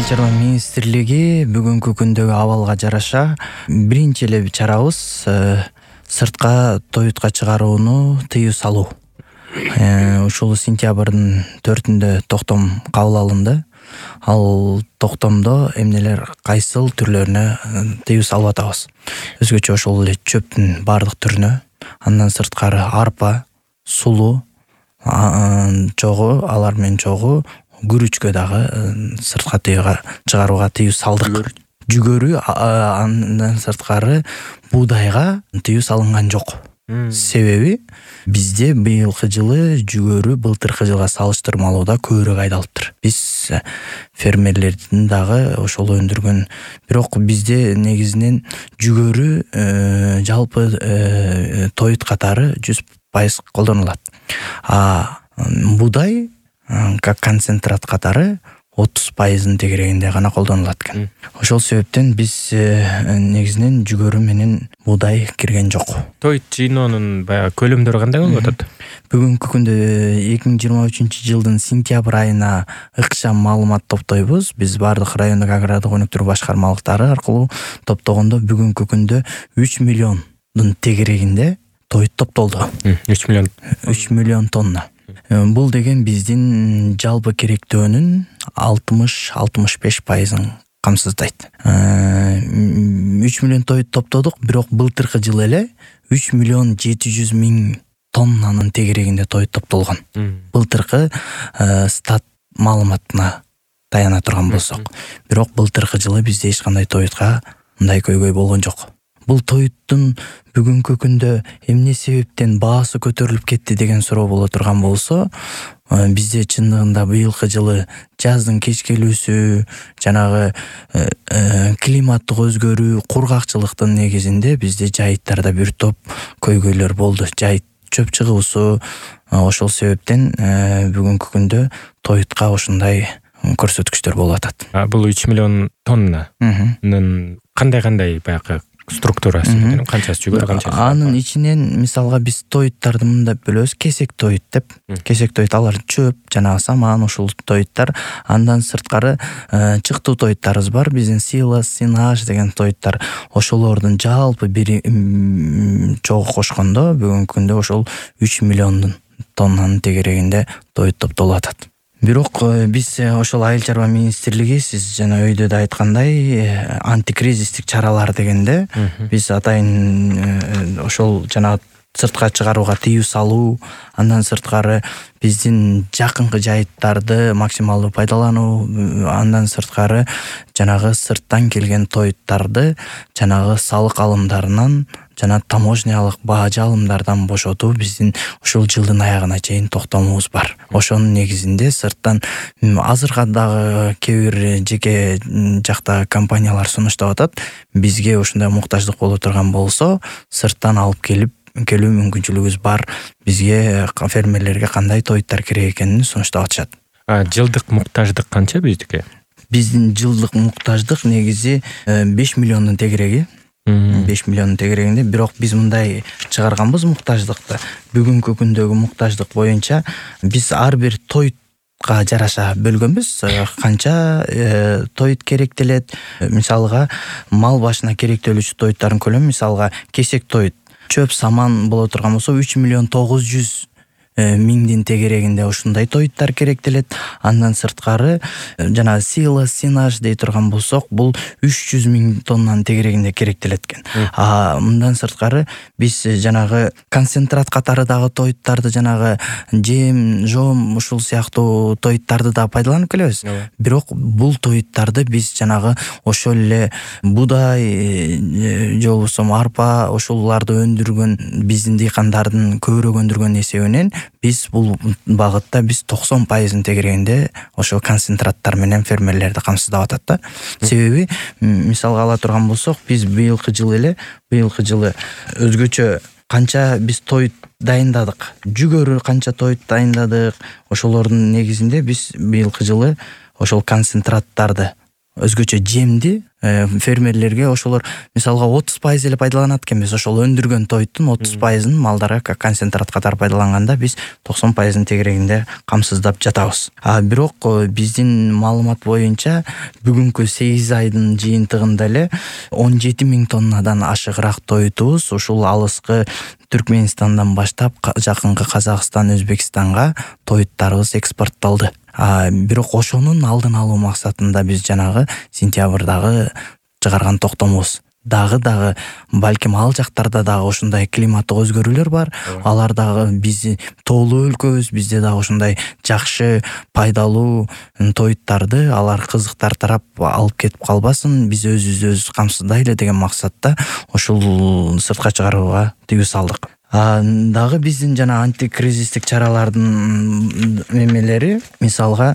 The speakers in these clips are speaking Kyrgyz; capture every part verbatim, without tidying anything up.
чарба министрлиги бүгүнкү күндөгү абалга жараша биринчи эле чарабыз сыртка тоютка чыгарууну тыюу салуу. Ушул сентябрдын төртүндө токтом кабыл алынды. Ал токтомдо эмнелер кайсыл түрлөрүнө тыюу салып атабыз. Өзгөчө ошол эле чөптүн баардык түрүнө, андан сырткары арпа, сулуу, чогуу, алар менен чогуу күрүчкө дагы сыртка тыюуга чыгарууга тыюу салдык. Жүгөрү, андан сырткары буудайга тыюу салынган жок. Себеби бизде быйылкы жылы жүгөрү былтыркы жылга салыштырмалууда көбүрөөк айдалыптыр. Биз фермерлердин дагы ошол өндүргөн, бирок бизде негизинен жүгөрү жалпы тоют катары жүз пайыз колдонулат. А буудай как концентрат катары отуз пайыздын тегерегинде гана колдонулат экен. Ошол себептен биз негизинен жүгөрү менен буудай кирген жок. Тоют жыйноонун баягы көлөмдөрү кандай болуп атат? Бүгүнкү күндө эки миң жыйырма үчүнчү жылдын сентябрь айына ыкчам маалымат топтойбуз. Биз бардык райондук агрардык өнүктүрүү башкармалыктары аркылуу топтогондо бүгүнкү күндө үч миллиондун тегерегинде тоют топтолду. үч миллион. үч миллион тонна. Бул деген биздин жалпы керектөөнүн алтымыш алтымыш беш пайызын камсыздайт. үч миллион тоют топтодук, бирок былтыркы жылы эле үч миллион жети жүз миң тоннанын тегерегинде тоют топтолгон. Былтыркы стат маалыматына таяна турган болсок. Бирок былтыркы жылы бизде эч кандай тоютка мындай көйгөй болгон жок. Бул тоюттун бүгүнкү күндө эмне себептен баасы көтөрүлүп кетти деген суроо боло турган болсо, бизде чындыгында быйылкы жылы жаздын кечкелүүсү, жанагы климаттык өзгөрүү, кургакчылыктын негизинде бизде жайыттарда бир топ көйгөйлөр болду. Жайыт чөп чыгуусу, ошол себептен бүгүнкү күндө тоютка ушундай көрсөткүчтөр болуп атат. Бул үч миллион тоннанын кандай-кандай баягы структурасы, канчасы жүгөрү, канчасы? Анын ичинен мисалга биз тоюттарды мындап бөлөбүз. Кесек тоют деп. Кесек тоют алар чөп, жанагы саман, ушул тоюттар. Андан сырткары чыктуу тоюттарыбыз бар. Биздин силос, синаж деген тоюттар. Ошолордун жалпы бир чогуу кошкондо бүгүнкү күндө ошол үч миллион тоннанын тегерегинде тоют топтолуп атат. Бирок биз ошол айыл чарба министрлиги, сиз жана өйдө да айткандай, антикризистик чаралар дегенде биз атайын ошол жана сыртка чыгарууга тыюу салуу, андан сырткары биздин жакынкы жайыттарды максималдуу пайдалануу, андан сырткары жанагы сырттан келген тоюттарды жанагы салык алымдарынан жана таможнялык бажы алымдардан бошотуу биздин ушул жылдын аягына чейин токтомубуз бар. Ошонун негизинде сырттан азыркы дагы кээ бир жеке жакта компаниялар сунуштап атат. Бизге ушундай муктаждык боло турган болсо, сырттан алып келип келүү мүмкүнчүлүгүбүз бар. Бизге фермерлерге кандай тоюттар керек экенин сунуштап атышат. Жылдык муктаждык канча биздики? Биздин жылдык муктаждык негизи беш миллиондун тегереги. беш миллиондун тегерегинде, бирок биз мындай чыгарганбыз муктаждыкты. Бүгүнкү күндөгү муктаждык боюнча биз ар бир тоютка жараша бөлгөнбүз. Канча тоют керектелет. Мисалга мал башына керектелүүчү тоюттардын көлөмү, мисалга кесек тоют, чөп, саман боло турган болсо үч миллион тогуз жүз миңдин тегерегинде ушундай тоюттар керектелет. Андан сырткары жана силос, синаж дей турган болсок, бул үч жүз миң тоннанын тегерегинде керектелет экен. А мындан сырткары биз жанагы концентрат катары дагы тоюттарды, жанагы жем, жом, ушул сыяктуу тоюттарды да пайдаланып келебиз. Бирок бул тоюттарды биз жанагы ошол эле буудай же болбосо арпа, ошоларды өндүргөн биздин дыйкандардын көбүрөөк өндүргөн эсебинен биз бул багытта биз токсон пайыздын тегерегинде ошол концентраттар менен фермерлерди камсыздап атат да. Себеби мисалга ала турган болсок, биз быйылкы жылы эле, быйылкы жылы өзгөчө канча биз тоют дайындадык, жүгөрү канча тоют дайындадык, ошолордун негизинде биз быйылкы жылы ошол концентраттарды өзгөчө жемди фермерлерге ошолор мисалга отуз пайыз эле пайдаланат экенбиз. Ошол өндүргөн тойдун отуз пайызын малдарга концентрат катары пайдаланганда биз токсон пайызын тегерегинде камсыздап жатабыз. А бирок биздин маалымат боюнча бүгүнкү сегиз айдын жыйынтыгында эле он жети миң тоннадан ашыгыраак тойтубуз ушул алыскы Түркменистандан баштап жакынкы Казакстан, Өзбекстанга тоюттарыбыз экспортталды. А бирок ошонун алдын алуу максатында биз жанагы сентябрдагы чыгарган токтомубуз дагы дагы балким ал жактарда дагы ушундай климаттык өзгөрүүлөр бар. Алар дагы биз тоолуу өлкөбүз, бизде дагы ушундай жакшы пайдалуу тоюттарды алар кызыктар тарап алып кетип калбасын, биз өзүбүздү өзүбүз камсыздайлы деген максатта ушул сыртка чыгарууга тыюу салдык. А дагы биздин жана антикризистик чаралардын эмелери, мисалга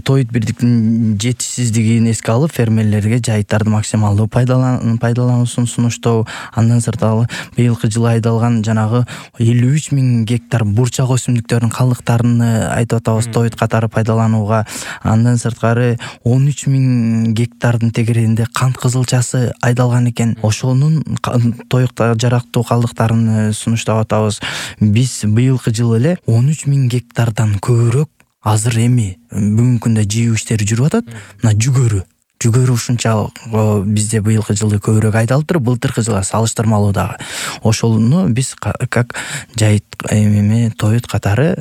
тоют бирдиктин жетишсиздигин эске алып, фермерлерге жайыттарды максималдуу пайдалануусун сунуштоо. Андан сырткары быйылкы жылы айдалган жанагы элүү үч миң гектар бурчак өсүмдүктөрүнүн калдыктарын айтып атабыз тоют катары пайдаланууга. Андан сырткары он үч миң гектардын тегерегинде кант кызылчасы айдалган экен. Ошонун тоюкта жарактуу калдыктарын сунуштоо атабыз. Биз быйылкы жылы эле он үч миң гектардан көбүрөөк азыр эми бүгүнкү күндө жыйуу иштери жүрүп атат. Мына жүгөрү жүгөрү ушунча бизде быйылкы жылы көбүрөөк айдалыптыр, былтыркы жылга салыштырмалуу дагы. Ошону биз как жайыт эме тоют катары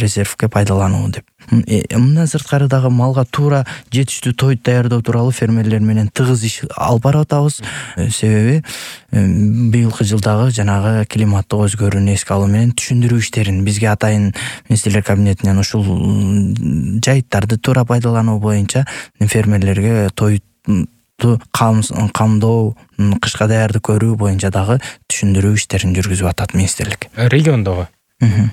резервге пайдалануу деп. Мындан сырткары дагы малга туура жетиштүү тоют даярдоо тууралуу фермерлер менен тыгыз иш алып барып атабыз. Себеби быйылкы жылдагы жанагы климаттык өзгөрүүнү эске алуу менен түшүндүрүү иштерин бизге атайын министрлер кабинетинен ушул жайыттарды туура пайдалануу боюнча фермерлерге тоютту камдоо, кышка даярдык көрүү боюнча дагы түшүндүрүү иштерин жүргүзүп атат министрлик. Региондогу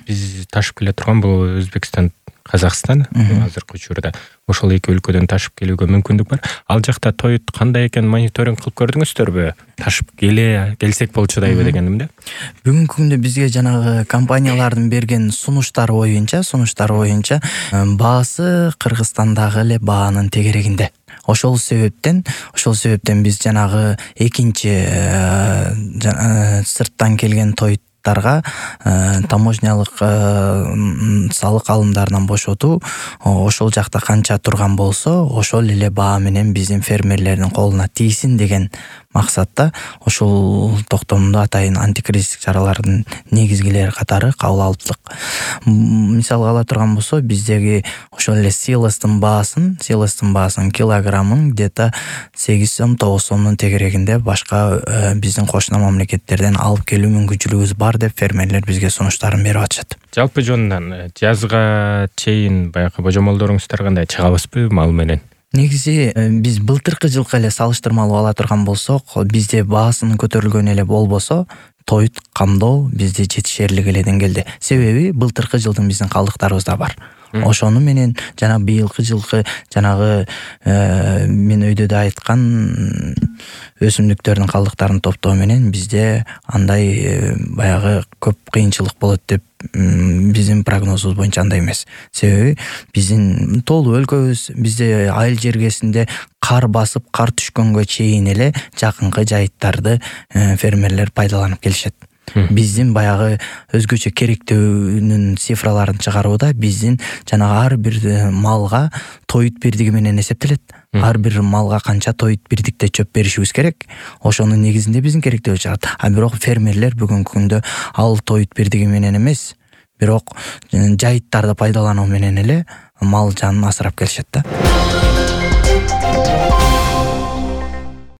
биз ташып келе турган бул Өзбекстан, Казакстан азыркы учурда ошол эки өлкөдөн ташып келүүгө мүмкүндүк бар. Ал жакта тоют кандай экенин мониторинг кылып көрдүңүздөрбү? Ташып келе келсек болчудайбы дегеним да. Бүгүнкү күндө бизге жанагы компаниялардын берген сунуштары боюнча, сунуштары боюнча баасы Кыргызстандагы эле баанын тегерегинде. Ошол себептен, ошол себептен биз жанагы экинчи сырттан келген тоют тарга таможнялык салык алымдарынан бошотуу ошол жакта канча турган болсо ошол эле баа менен биздин фермерлердин колуна тийсин деген максатта ошол токтомду атайын антикризистик чаралардын негизгилери катары кабыл алыптык. Мисалга ала турган болсо биздеги ошол эле силостун баасын, силостун баасын килограммын где-то сегиз сом тогуз сомдун тегерегинде башка биздин кошуна мамлекеттерден алып келүү мүмкүнчүлүгүбүз бар деп фермерлер бизге сунуштарын берип атышат. Жалпы жонунан жазга чейин баягы божомолдоруңуздар кандай, чыгабызбы мал менен? Негизи биз былтыркы жылкы эле салыштырмалуу ала турган болсок, бизде баасынын көтөрүлгөнү эле болбосо, тоют камдоо бизде жетишерлик эле деңгээлде. Себеби былтыркы жылдын биздин калдыктарыбыз да бар. Ошону менен жана быйылкы жылкы жанагы мен өйдө да айткан өсүмдүктөрдүн калдыктарын топтоо менен бизде андай баягы көп кыйынчылык болот деп биздин прогнозубуз боюнча андай эмес. Себеби биздин тоолуу өлкөбүз, бизде айыл жергесинде кар басып, кар түшкөнгө чейин эле жакынкы жайыттарды фермерлер пайдаланып келишет. Биздин баягы өзгөчө керектөөнүн цифраларын чыгарууда биздин жанагы ар бир малга тоют бирдиги менен эсептелет. Ар бир малга канча тоют бирдикте чөп беришибиз керек. Ошонун негизинде биздин керектөө чыгат. А бирок фермерлер бүгүнкү күндө ал тоют бирдиги менен эмес, бирок жайыттарды пайдалануу менен эле мал жанын асырап келишет да.